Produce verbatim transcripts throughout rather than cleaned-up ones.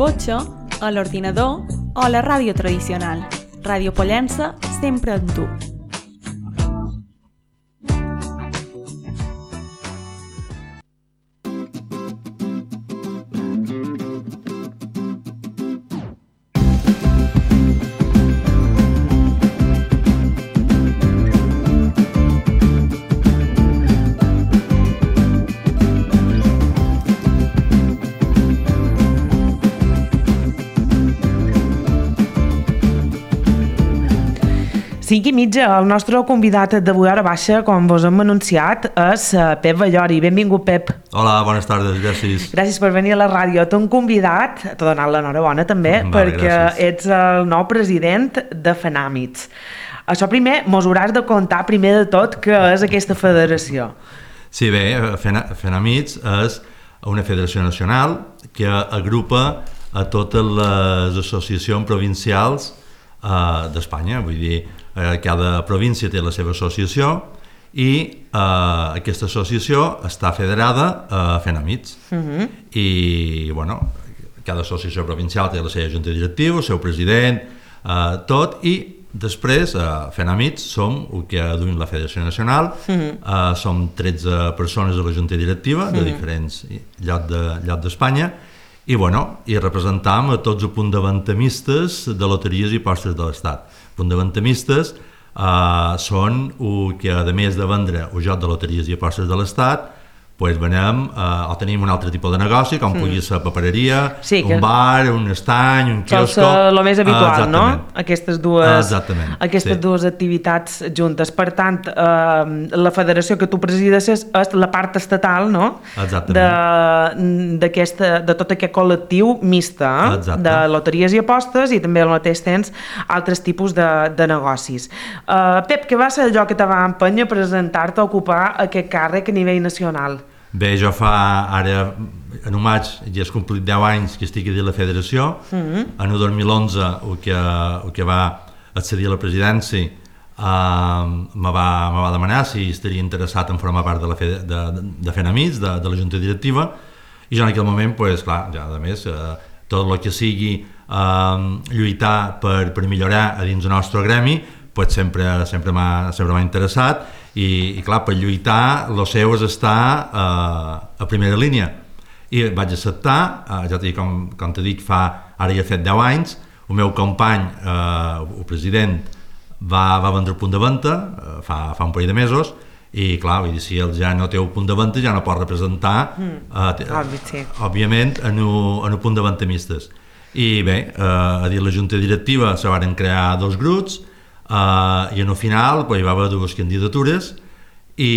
cotxe, a l'ordinador o a la ràdio tradicional. Ràdio Pollença, sempre amb tu. cinc i mitja, el nostre convidat d'avui hora baixa, com vos hem anunciat, és Pep Ballori. Benvingut, Pep. Hola, bones tardes, gràcies. Gràcies per venir a la ràdio. T'hem convidat, t'he donat l'enhorabona també, vale, perquè gràcies. Ets el nou president de FENAMITS. Això primer, mos hauràs de contar primer de tot què és aquesta federació. Sí, bé, FENAMITS és una federació nacional que agrupa a totes les associacions provincials uh, d'Espanya, vull dir, cada província té la seva associació i eh, aquesta associació està federada a FENAMITS. Uh-huh. I, bueno, cada associació provincial té la seva junta directiva, el seu president, eh, tot, i després a eh, FENAMITS som el que duim la Federació Nacional, uh-huh. eh, som tretze persones a la junta directiva de uh-huh. diferents llocs de, lloc d'Espanya, i, bueno, i representam a tots els punts de loteries i postes de l'Estat. Punts uh, són el que, a més de vendre el joc de loteries i apostes de l'Estat, pues venem, uh, o tenim un altre tipus de negoci, com mm. pugui ser papereria, sí, un bar, un estany, un quiosco... Sol ser el més habitual, uh, no? Aquestes dues, uh, aquestes sí. dues activitats juntes. Per tant, uh, la federació que tu presides és la part estatal, no? Exactament. De, de tot aquest col·lectiu mixta, eh? De loteries i apostes, i també al mateix temps altres tipus de, de negocis. Uh, Pep, què va ser allò que te va empènyer a presentar-te a ocupar aquest càrrec a nivell nacional? Bé, jo fa ara, en un maig, ja has complit deu anys que estic a dir la federació. Mm-hmm. En el dos mil onze, el que, el que va accedir a la presidència, uh, me, va, me va demanar si estaria interessat en formar part de, la fe, de, de, de FENAMITS, de, de la junta directiva, i jo en aquell moment, pues, clar, ja, a més, uh, tot el que sigui uh, lluitar per, per millorar a dins del nostre gremi, pues, sempre, sempre m'ha sempre m'ha interessat. I, i clar, per lluitar el seu és estar uh, a primera línia, i vaig acceptar, uh, ja t'he dit, com, com t'he dit, fa, ara ja he fet deu anys, el meu company, uh, el president, va, va vendre el punt de venda uh, fa, fa un parell de mesos, i clar, vull dir, si ell ja no té el punt de venda ja no pot representar mm. uh, t- Obvi, sí. òbviament en el, en el punt de venda mistes. I bé, uh, a dir la junta directiva se van crear dos grups. Uh, i en el final pues, hi va haver dues candidatures i,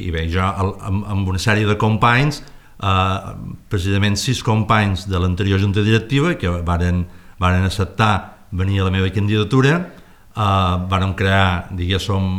i bé, jo amb, amb una sèrie de companys, uh, precisament sis companys de l'anterior junta directiva que varen, varen acceptar venir a la meva candidatura, uh, vàrem crear, diguéssim,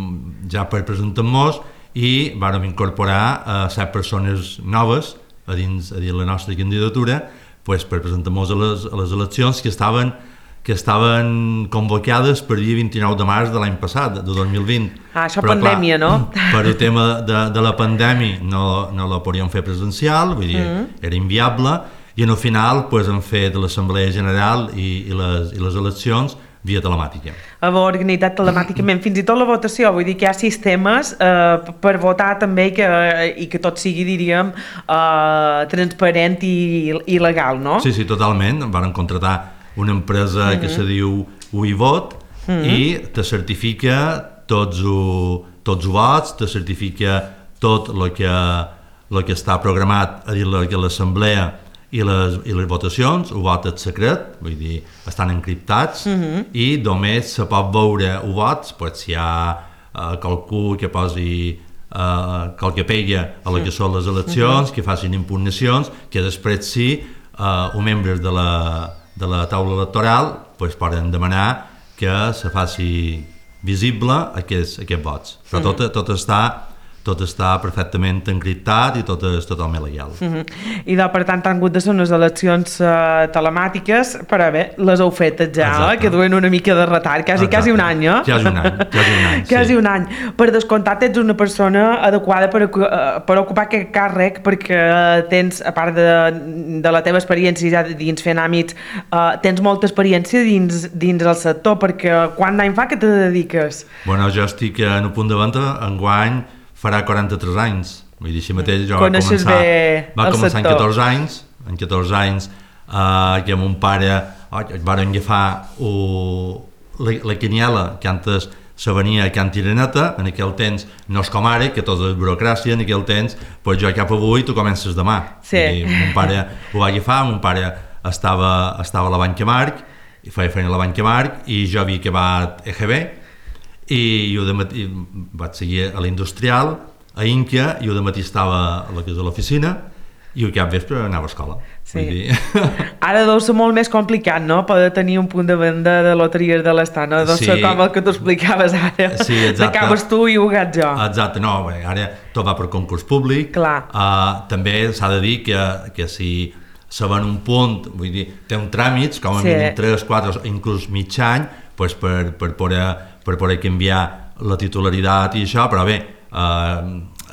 ja per presentar-nos, i vàrem incorporar uh, set persones noves a dins, a dins la nostra candidatura, pues, per presentar-nos a les, a les eleccions que estaven que estaven convocades per dia vint-i-nou de març de l'any passat, de dos mil vint. Ah, això però, pandèmia, clar, no? Per el tema de, de la pandèmia no, no la podíem fer presencial, vull dir, mm. era inviable, i en el final pues, hem fet l'Assemblea General i, i, les, i les eleccions via telemàtica. A organitzat telemàticament, fins i tot la votació, vull dir que hi ha sistemes eh, per votar també i que, i que tot sigui, diríem, eh, transparent i, i legal, no? Sí, sí, totalment. Van contratar una empresa mm-hmm. que se diu UiVot mm-hmm. i te certifica tots els tots vots, te certifica tot el que, lo que està programat a dir l'assemblea i les, i les votacions. El vot és secret, vull dir, estan encriptats mm-hmm. i només se pot veure el vot pues, si hi ha uh, qualcú que posi uh, qualque pega a la que són les eleccions, mm-hmm. que facin impugnacions, que després sí, uh, els membres de la de la taula electoral pues, poden demanar que se faci visible aquests, aquests vots. Però tot, tot està tot està perfectament encriptat i tot és totalment legal. Uh-huh. I de, per tant han hagut de ser unes eleccions uh, telemàtiques, però bé, les heu fetes ja, eh? Que duen una mica de retard, quasi, quasi un any, eh? Quasi un any, quasi un any, quasi sí. un any. Per descomptat ets una persona adequada per, uh, per ocupar aquest càrrec, perquè tens, a part de, de la teva experiència ja dins fent àmbits, uh, tens molta experiència dins, dins el sector, perquè quant d'any fa que te dediques? Bueno, jo estic en un punt de venda, enguany farà quaranta-tres anys, vull dir, així mateix jo va començar, va començar en catorze anys, en catorze anys eh, que mon pare oh, varen agafar uh, la, la quiniela que antes se venia a Can Tireneta, en aquell temps no és com ara, que tot és burocràcia, en aquell temps, pues jo cap avui tu comences demà. Sí. I mon pare ho va agafar, mon pare estava, estava a la Banca Marc, i feia feina a la Banca Marc, i jo havia acabat E G B, i jo de matí vaig seguir a l'Industrial, a Inca, i jo de matí estava a la casa de l'oficina i al cap vespre anava a escola. Sí. Vull dir... Ara deu ser molt més complicat, no?, poder tenir un punt de venda de loteries de l'Estat, no? Deu ser sí. Com el que tu explicaves ara, sí, acabes tu i ho gaig jo. Exacte, no, bé, ara tot va per concurs públic. Clar. Uh, també s'ha de dir que, que si se va en un punt, vull dir, té un tràmits, com a sí. mínim tres, quatre, inclús mig any, pues per, per poder per poder canviar la titularitat i això, però bé, eh,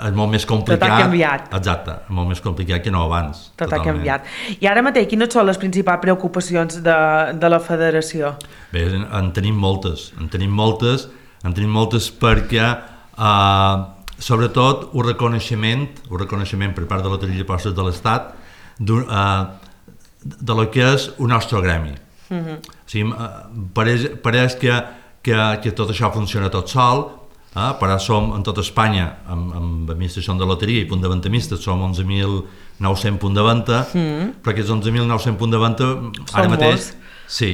és molt més complicat. Tot ha canviat. Exacte, és molt més complicat que no abans. Tot totalment. Ha canviat. I ara mateix, quines són les principals preocupacions de, de la federació? Bé, en, en tenim moltes, en tenim moltes, en tenim moltes perquè, eh, sobretot, un reconeixement, un reconeixement per part de la Loteria i Apostes de l'Estat eh, de lo que és el nostre gremi. Uh-huh. O sigui, pareix, pareix que Que, que tot això funciona tot sol, eh? Però som en tota Espanya, amb, amb administració de loteria i punt de venda mistes, som onze mil nou-cents punts de venda, mm. però aquests onze mil nou-cents punts de venda, ara mateix, molts. Sí,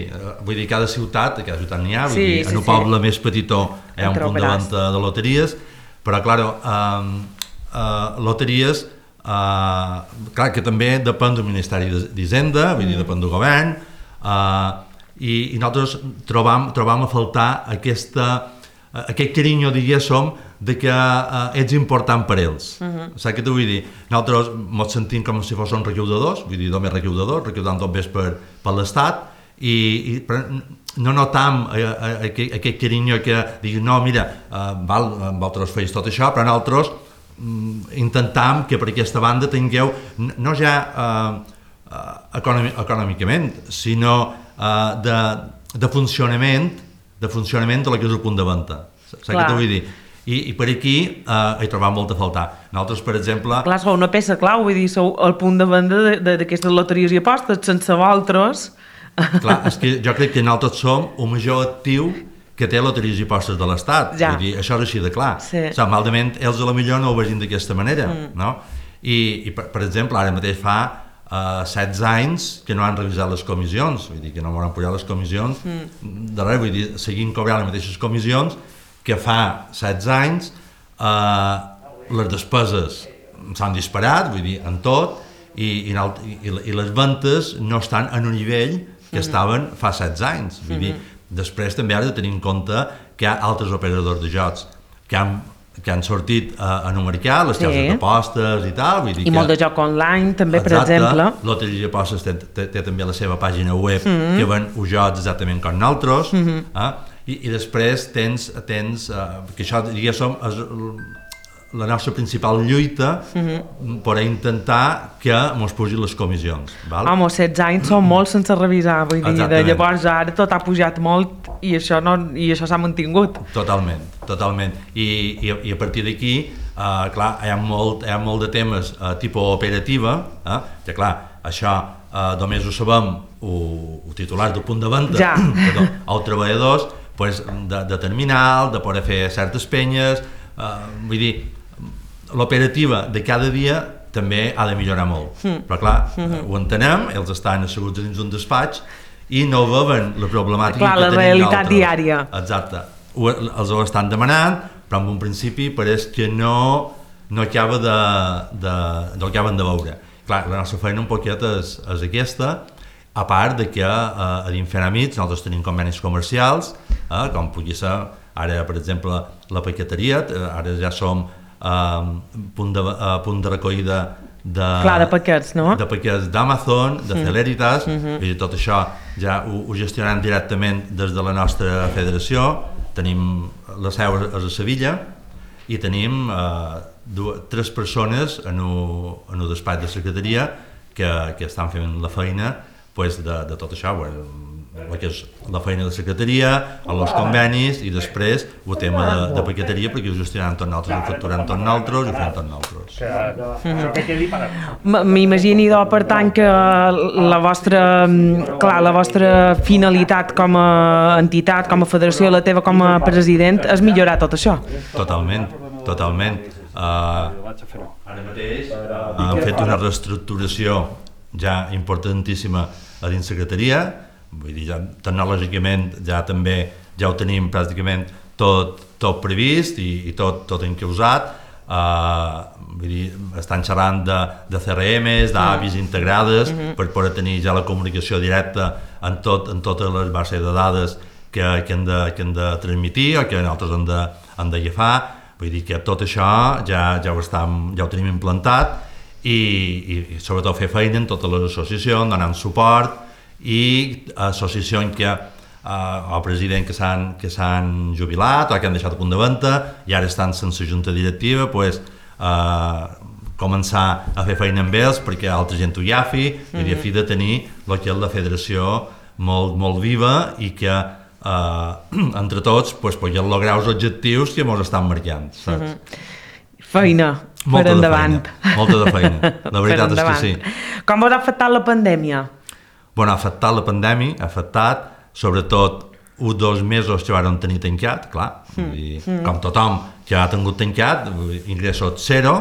vull dir, cada ciutat, cada ciutat n'hi ha, vull sí, dir, sí, en un sí. poble més petitó hi ha un punt de venda de loteries, però, clar, eh, eh, loteries, eh, clar, que també depèn del Ministeri d'Hisenda, vull dir, depèn del govern, eh, I, i nosaltres trobam, trobam a faltar aquesta, aquest carinyo, diguéssim, de que uh, ets important per ells. Uh-huh. Saps què t'ho vull dir? Nosaltres ens sentim com si fos un recaudadors, vull dir, només recaudadors, recaudant tot més per, per l'Estat, i, i no notam aquest, aquest carinyo que diguin, no, mira, uh, val, vosaltres feis tot això, però nosaltres um, intentam que per aquesta banda tingueu, no ja uh, uh, econòmic, econòmicament, sinó Uh, de, de funcionament de funcionament de la que és el punt de venda. Saps què t'ho vull dir? I, i per aquí uh, hi trobam molt a faltar. Nosaltres, per exemple... Clar, sou una peça clau, vull dir, sou el punt de venda d'aquestes loteries i apostes, sense vosaltres... Clar, és que jo crec que nosaltres som el major actiu que té loteries i apostes de l'Estat. Ja. Vull dir, això és així de clar. Sí. O sigui, malament, ells a la millor no ho vegin d'aquesta manera, mm. no? I, i per, per exemple, ara mateix fa Uh, setze anys que no han revisat les comissions, vull dir que no m'han pujat les comissions mm. de res, vull dir, seguint cobrant les mateixes comissions que fa setze anys, uh, les despeses s'han disparat, vull dir, en tot, i, i, i, i les ventes no estan en un nivell que mm. estaven fa setze anys, vull dir, mm-hmm. després també has de tenir en compte que hi ha altres operadors de jocs que han que han sortit uh, en un mercat, les cases sí. d'apostes i tal. Vull dir I que, molt de joc online, també, exacte, per exemple. Loteria i Apostes té, té, té també la seva pàgina web mm-hmm. que ven uns jocs exactament com nosaltres. Mm-hmm. eh? I, I després tens, tens uh, que això, diguéssim, és la nostra principal lluita mm-hmm. per intentar que mos pugin les comissions. Val? Home, setze anys són molt sense revisar, vull dir, de llavors ara tot ha pujat molt i això, no, i això s'ha mantingut. Totalment, totalment. I, i, i a partir d'aquí, uh, clar, hi ha molt, hi ha molt de temes uh, tipus operativa, eh? que clar, això uh, només ho sabem els titulars del punt de venda, ja. perdó, els treballadors, pues, de, de terminal, de poder fer certes penyes, uh, vull dir, l'operativa de cada dia també ha de millorar molt, mm. però clar, mm-hmm. ho entenem, ells estan asseguts dins un despatx i no veuen la problemàtica clar, que la tenim realitat diària. Exacte, ho, els ho estan demanant, però en un principi pareix que no, no acaba de, de, no acaben de veure. Clar, la nostra feina un poquet és, és aquesta, a part de que eh, a dins Fent Amics nosaltres tenim convenis comercials, eh, com pugui ser ara, per exemple, la paqueteria, ara ja som eh, punt, de, uh, punt de recollida de, Clar, de paquets, no? De paquets d'Amazon, de Celeritas, mm. mm-hmm. i tot això ja ho, ho gestionem directament des de la nostra federació. Tenim la seu a Sevilla i tenim eh, dues, tres persones en un despatx de secretaria que, que estan fent la feina pues, de, de tot això, bueno, la, que és la feina de secretaria, els convenis i després el tema de, de paqueteria perquè ho gestionem tot nosaltres, ho facturem tot nosaltres i ho fem tot nosaltres. Mm. M'imagino, per tant, que la vostra, clar, la vostra finalitat com a entitat, com a federació, la teva com a president, és millorar tot això. Totalment, totalment. Uh, ara mateix uh, hem fet una reestructuració ja importantíssima a dins secretaria. Vull dir, ja, tecnològicament ja també ja ho tenim pràcticament tot, tot previst i, i tot, tot encausat. Uh, vull dir, estan xerrant de, de C R Ms, d'A P Is integrades mm-hmm. per poder tenir ja la comunicació directa en, tot, en totes les bases de dades que, que, hem de, que hem de transmitir o que nosaltres hem de, hem d'agafar. Vull dir que tot això ja, ja, ho, estem, ja ho tenim implantat i, i, i sobretot fer feina en totes les associacions, donant suport i associacions que uh, el president que s'han que s'han jubilat o que han deixat a punt de venda i ara estan sense junta directiva, pues, uh, començar a fer feina amb ells perquè altra gent ho agafi mm-hmm. i a fi de tenir el que és la federació molt, molt viva i que uh, entre tots pues, puguem lograr els objectius que ens estan marcant, saps? Mm-hmm. Feina, molta per endavant. Feina, molta de feina, la veritat és que sí. Com us ha afectat la pandèmia? Bueno, ha afectat la pandèmia, ha afectat sobretot uns dos mesos que van tenir tancat, clar, mm. i, mm. com tothom que ha tingut tancat, ingressos zero,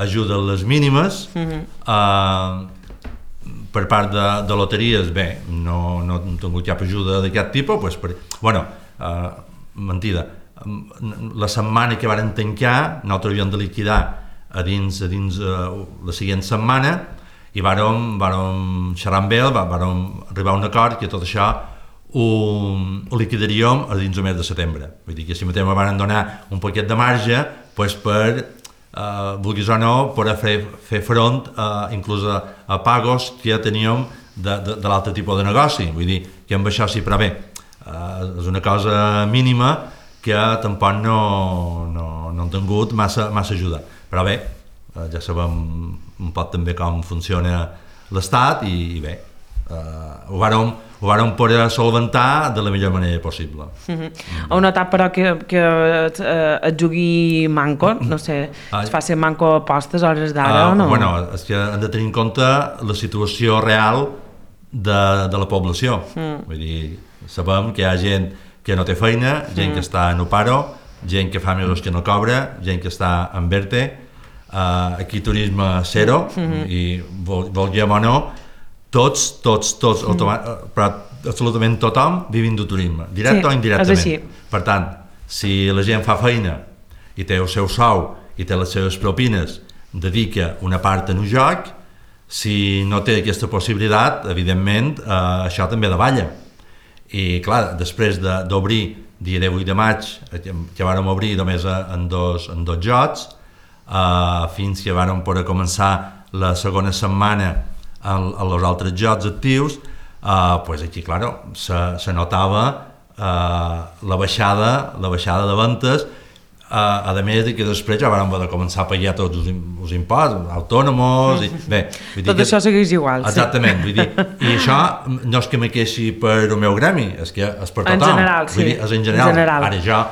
ajuda a les mínimes, mm-hmm. uh, per part de, de loteries, bé, no, no hem tingut cap ajuda d'aquest tipus, pues, per, bueno, uh, mentida, la setmana que van tancar, nosaltres havíem de liquidar a dins, a dins uh, la següent setmana, i vàrem, vàrem xerrar amb ell, vàrem arribar a un acord que tot això ho, ho liquidaríem a dins del mes de setembre. Vull dir que si mateix me van donar un poquet de marge pues per, eh, vulguis o no, poder fer, fer front eh, inclús a, a pagos que ja teníem de, de, de l'altre tipus de negoci. Vull dir que amb això sí, però bé, eh, és una cosa mínima que tampoc no, no, no hem tingut massa, massa ajuda. Però bé, eh, ja sabem un poc també com funciona l'Estat i, i bé, uh, ho vàrem, ho vàrem poder solventar de la millor manera possible. Mm-hmm. Heu notat però que, que uh, et jugui manco, no sé, ah, es fa ser manco a postes a hores d'ara uh, o no? Bueno, és que hem de tenir en compte la situació real de, de la població. Mm. Vull dir, sabem que hi ha gent que no té feina, gent mm. que està en paro, gent que fa mesos que no cobra, gent que està en verte. Uh, aquí turisme zero mm-hmm. i vol, volguem o no tots, tots, tots mm-hmm. automa- però absolutament tothom vivint de turisme, directe sí, o indirectament. Per tant, si la gent fa feina i té el seu sou i té les seves propines, dedica una part en un joc, si no té aquesta possibilitat, evidentment uh, això també davalla. I clar, després de, d'obrir dia divuit de maig, que vàrem obrir només en dos, en dos jocs, Uh, fins que vàrem poder començar la segona setmana amb els altres jocs actius, uh, pues aquí, claro, se, se notava uh, la baixada, la baixada de ventes, uh, a més de que després ja vàrem poder començar a pagar tots els, els impostos, autònoms, i bé... Vull dir tot que, això segueix igual. Exactament, sí. Vull dir, i això no és que me queixi per el meu gremi, és que és per tothom. En general, sí. Vull dir, és en general. En general. Ara jo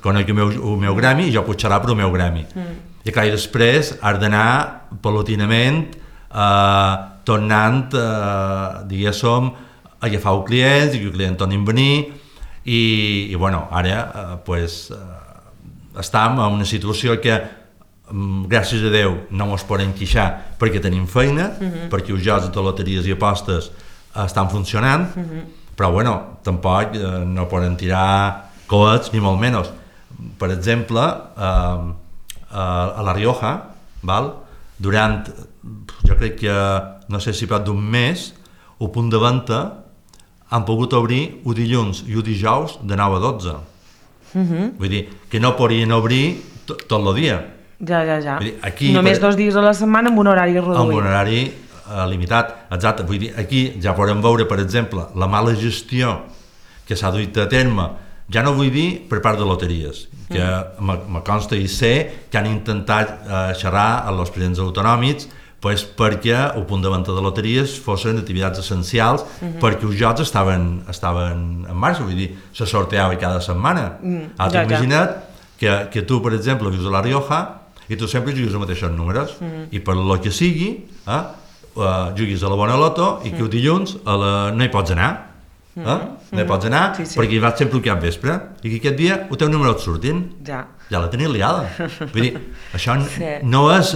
conec el meu, el meu gremi i jo puc xerrar per el meu gremi. Mm. I clar, i després has d'anar paulatinament eh, tornant, eh, diguéssim, a agafar els clients i que els clients tornin a venir i, i bueno, ara eh, pues, eh, estem en una situació que mm, gràcies a Déu no ens podem queixar perquè tenim feina, mm-hmm. perquè els jocs de loteries i apostes eh, estan funcionant, mm-hmm. però bueno, tampoc eh, no poden tirar coets ni molt menys. Per exemple, eh, a La Rioja, val? Durant, jo crec que, no sé si prop d'un mes, el punt de venda han pogut obrir un dilluns i un dijous de nou a dotze. Mm-hmm. Vull dir, que no podien obrir tot, tot el dia. Ja, ja, ja. Dir, aquí, només per... dos dies a la setmana amb un horari reduït. Amb un horari eh, limitat, exacte. Vull dir, aquí ja podem veure, per exemple, la mala gestió que s'ha duit a terme, ja no vull dir per part de loteries, que mm. me consta i sé que han intentat eh, xerrar amb els presidents autonòmics pues, perquè el punt de venda de loteries fossin activitats essencials mm-hmm. perquè els jocs estaven, estaven en marxa, vull dir, se sorteava cada setmana. Mm, Ara ja, imagina't ja. que, que tu, per exemple, vius a la Rioja i tu sempre juguis els mateixos números mm. i per lo que sigui eh, uh, juguis a la Bona Loto i que el dilluns a la... no hi pots anar eh? mm. no hi pots anar sí, sí. perquè hi vas sempre al cap vespre i que aquest dia el teu número et surtin ja, ja la tenies liada. Vull dir, això sí. no és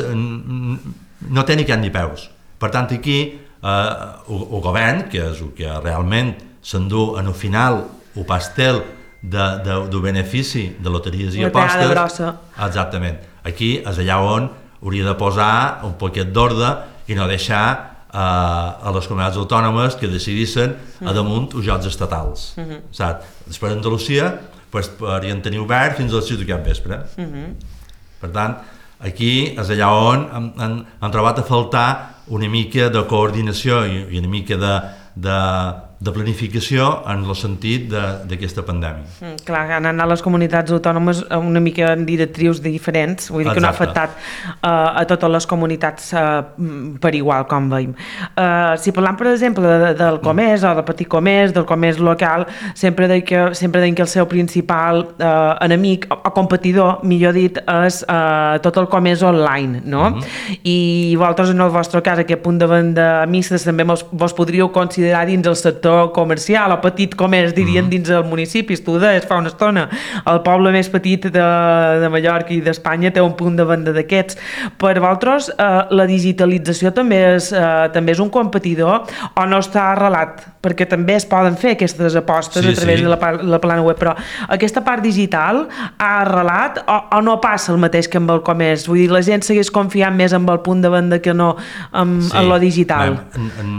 no té ni cap ni peus. Per tant, aquí eh, el, el govern, que és el que realment s'endú en el final el pastel de, de, de benefici de loteries i apostes, grossa. Exactament. Aquí és allà on hauria de posar un poquet d'ordre i no deixar eh, a les comunitats autònomes que decidissin mm. a damunt els jocs estatals. Mm-hmm. Saps? Després Andalusia pues, podrien tenir obert fins a les sis de cap vespre. Mm-hmm. Per tant, aquí és allà on han, han, han trobat a faltar una mica de coordinació i, i una mica de, de, de planificació en el sentit d'aquesta pandèmia. Mm, clar, han anat les comunitats autònomes una mica en directrius diferents, vull dir Exacte. Que no ha afectat uh, a totes les comunitats uh, per igual, com veiem. Uh, si parlam, per exemple, de, del comerç mm. o del petit comerç, del comerç local, sempre deim que, sempre deim que el seu principal uh, enemic o competidor, millor dit, és uh, tot el comerç online, no? Mm-hmm. I vosaltres, en el vostre cas, aquest punt de venda mistes també mos, vos podríeu considerar dins el sector comercial o petit comerç, dirien, mm. dins el municipi. Tu deies fa una estona, el poble més petit de, de Mallorca i d'Espanya té un punt de venda d'aquests. Per vosaltres, eh, la digitalització també és, eh, també és un competidor o no està arrelat? Perquè també es poden fer aquestes apostes sí, a través sí. de la, la plana web, però aquesta part digital ha arrelat o, o no passa el mateix que amb el comerç? Vull dir, la gent segueix confiant més en el punt de venda que no en, sí. en lo digital. En, en,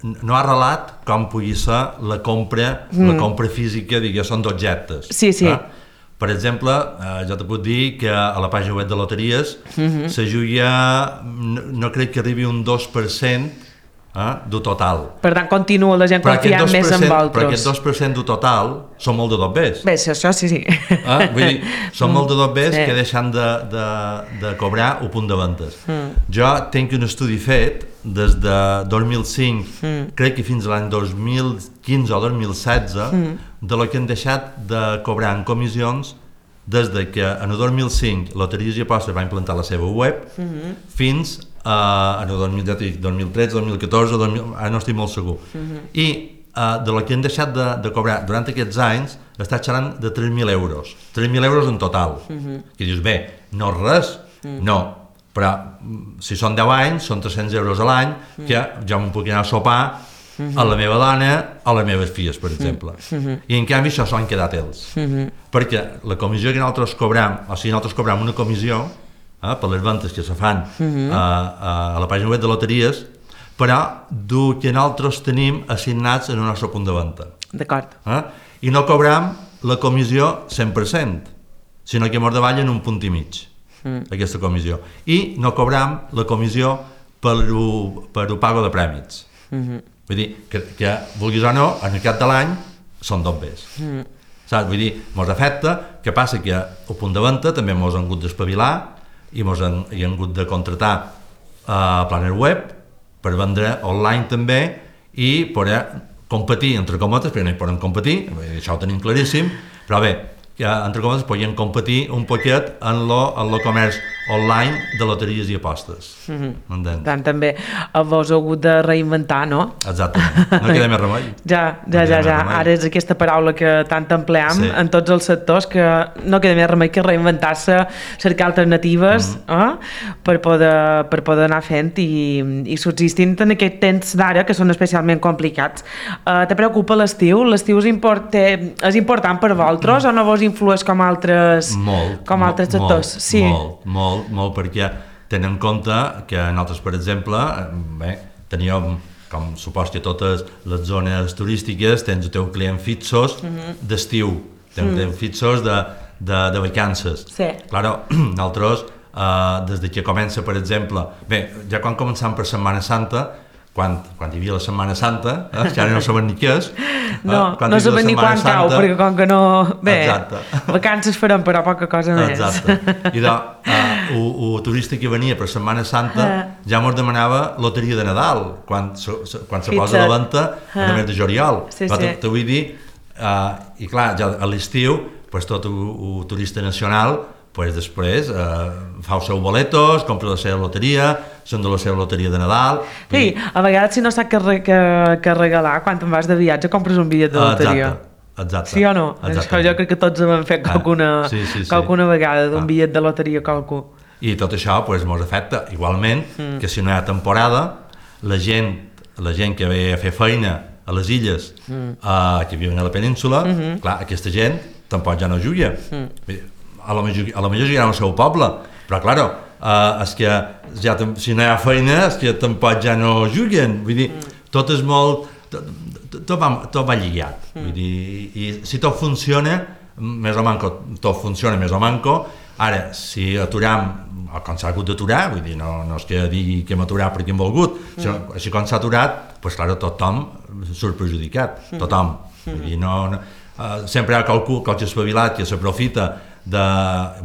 no ha arrelat com pugui ser la compra, mm. la compra física, diguéssim, d'objectes. Sí, sí. Eh? Per exemple, eh, jo te puc dir que a la pàgina web de loteries mm-hmm. se juga, no, no crec que arribi un dos per cent eh, del total. Per tant, continua la gent confiant més en vosaltres. Però aquest dos per cent del total són molt de dobbers. Bé, això sí, sí. Eh? Vull dir, són molt de dobbers sí. que deixen de, de, de cobrar el punt de ventes. Mm. Jo tinc un estudi fet des de dos mil cinc, mm. crec que fins a l'any dos mil quinze o dos mil setze, mm. de lo que han deixat de cobrar en comissions des de que en el dos mil cinc Loteries i Apostes va implantar la seva web mm-hmm. fins a, en el dos mil tretze, dos mil catorze, dos mil, ara no estic molt segur. Mm-hmm. I uh, de lo que han deixat de, de cobrar durant aquests anys està xerrant de tres mil euros. tres mil euros en total. Mm-hmm. Que dius, bé, no és res, mm. no. Però si són deu anys, són tres-cents euros a l'any, mm. que jo me'n puc anar a sopar mm-hmm. a la meva dona o a les meves filles, per exemple. Mm-hmm. I en canvi això s'ho han quedat ells. Mm-hmm. Perquè la comissió que nosaltres cobram, o sigui, nosaltres cobram una comissió eh, per les ventes que se fan mm-hmm. a, a, a la pàgina web de loteries, però del que nosaltres tenim assignats en el nostre punt de venda. D'acord. Eh? I no cobram la comissió cent per cent, sinó que mos davallen un punt i mig. Mm. aquesta comissió, i no cobram la comissió per el, per el pago de prèmits. Mm-hmm. Vull dir, que, que vulguis o no, en el cap de l'any són dobbers. Mm. Saps? Vull dir, mos afecta, que passa que el punt de venda també mos han hagut d'espavilar i mos han, hi han hagut de contratar uh, planer web per vendre online també i poder competir, entre cometes, perquè no hi poden competir, això ho tenim claríssim, però bé, que entre cometes podien competir un poquet en lo, en lo comerç online de loteries i apostes. Mm-hmm. Tant també vos heu hagut de reinventar, no? Exactament, no queda més remei. Ja, ja, no ja, ja. Ara és aquesta paraula que tant empleam sí. en tots els sectors, que no queda més remei que reinventar-se, cercar alternatives mm-hmm. eh? per, poder, per poder anar fent i, i subsistint en aquest temps d'ara, que són especialment complicats. Uh, te preocupa l'estiu? L'estiu és, import, és important per vosaltres mm. o no vos influeix com altres, molt, com altres sectors? Molt, sí. molt, molt, molt, perquè tenen en compte que nosaltres, per exemple, bé, teníem, com supos que totes les zones turístiques, tens el teu client fixos mm-hmm. d'estiu, tens mm-hmm. fixos de, de, de vacances. Sí. Claro, nosaltres, eh, des de que comença, per exemple, bé, ja quan començam per Setmana Santa, quan, quan hi havia la Setmana Santa, eh, que ara no saben ni què és. No, eh, no saben ni quan Santa, cau, perquè com que no... Bé, exacte. Vacances farem, però poca cosa més. Exacte. I de, uh, el turista que venia per Setmana Santa uh. ja mos demanava loteria de Nadal, quan, so, so, quan se posa a la venda uh. el mes de juliol. Sí, però sí. te vull dir, uh, i clar, ja a l'estiu, pues, tot el turista nacional pues després eh, fa els seus boletos, compra la seva loteria, són de la seva loteria de Nadal... Sí, i... a vegades si no saps què, re, què, què regalar, quan te'n vas de viatge compres un bitllet de loteria. Exacte, exacte. Sí o no? Això jo crec que tots hem fet qualcuna, ah, sí, sí, sí. qualcuna vegada d'un ah. bitllet de loteria a qualcú. I tot això pues, mos afecta igualment mm. que si no hi ha temporada, la gent, la gent que ve a fer feina a les illes, mm. eh, que viuen a la península, mm-hmm. clar, aquesta gent tampoc ja no juga. Mm. A la millor, a la millor jugaran al seu poble, però, claro, uh, és que ja, si no hi ha feina, és que tampoc ja no juguen. Vull dir, mm. tot és molt... Tot, tot, va, tot va lligat. Mm. Vull dir, i si tot funciona, més o manco, tot funciona més o manco. Ara, si aturam, com s'ha hagut d'aturar, vull dir, no, no és que digui que hem aturat perquè hem volgut, mm. sinó, així com s'ha aturat, doncs, clar, tothom surt perjudicat, mm. tothom. Mm. Vull dir, no, no, uh, sempre hi ha qualcú, qualque espavilat que s'aprofita de,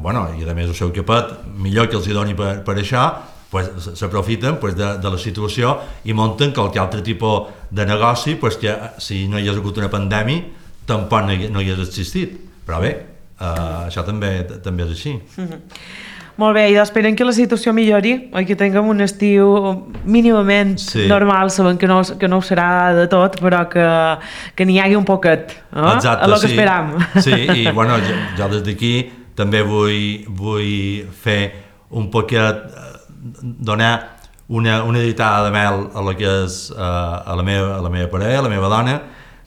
bueno, i a més ho seu que pot, millor que els hi doni per, per això, pues, s'aprofiten pues, de, de la situació i munten qualque altre tipus de negoci pues, que si no hi hagués hagut una pandèmia tampoc no hi, no hi hagués existit, però bé, uh, això també, també és així. Mm-hmm. Molt bé, i esperem que la situació millori i que tinguem un estiu mínimament sí. normal, sabem que no, que no ho serà de tot, però que, que n'hi hagi un poquet, eh? Exacte, a lo que sí. esperam. Sí, i bueno, jo, jo des d'aquí també vull, vull fer un poquet, donar una, una ditada de mel a la que és a la meva, a la meva parella, a la meva dona,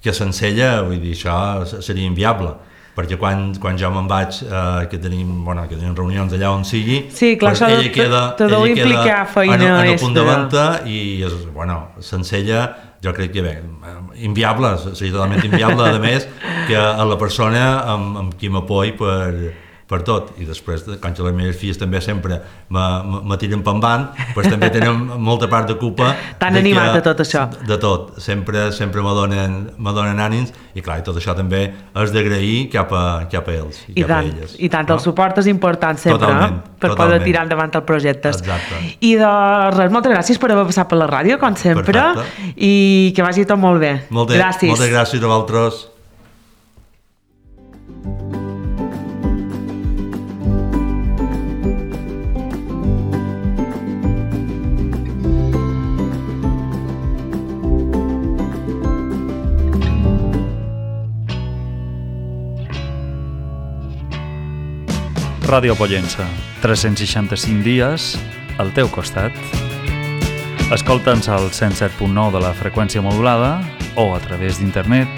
que sense ella, vull dir, això seria inviable. Perquè quan, quan jo me'n vaig, eh, que, tenim, bueno, que tenim reunions allà on sigui, sí, clar, pues ella queda, ella queda feina en, en el punt de venda i, és, bueno, sense ella, jo crec que bé, inviable, seria totalment inviable, a més, que a la persona amb, amb qui m'apoi per, per tot. I després, quan les meves filles també sempre me tiren per avant, pues també tenen molta part de culpa. Tan animat de tot això. De tot, sempre, sempre me donen, me donen ànims, i clar, i tot això també és d'agrair cap, a, cap a ells i, I cap tant, a elles. I tant, no? El suport és important sempre, totalment, eh? Per totalment. Poder tirar endavant els projectes. Exacte. I de res, moltes gràcies per haver passat per la ràdio, com sempre. Perfecte. I que vagi tot molt bé. Molt bé. Gràcies. Moltes gràcies a vosaltres. Ràdio Pollença, tres-cents seixanta-cinc dies al teu costat. Escolta'ns al cent set punt nou de la freqüència modulada o a través d'internet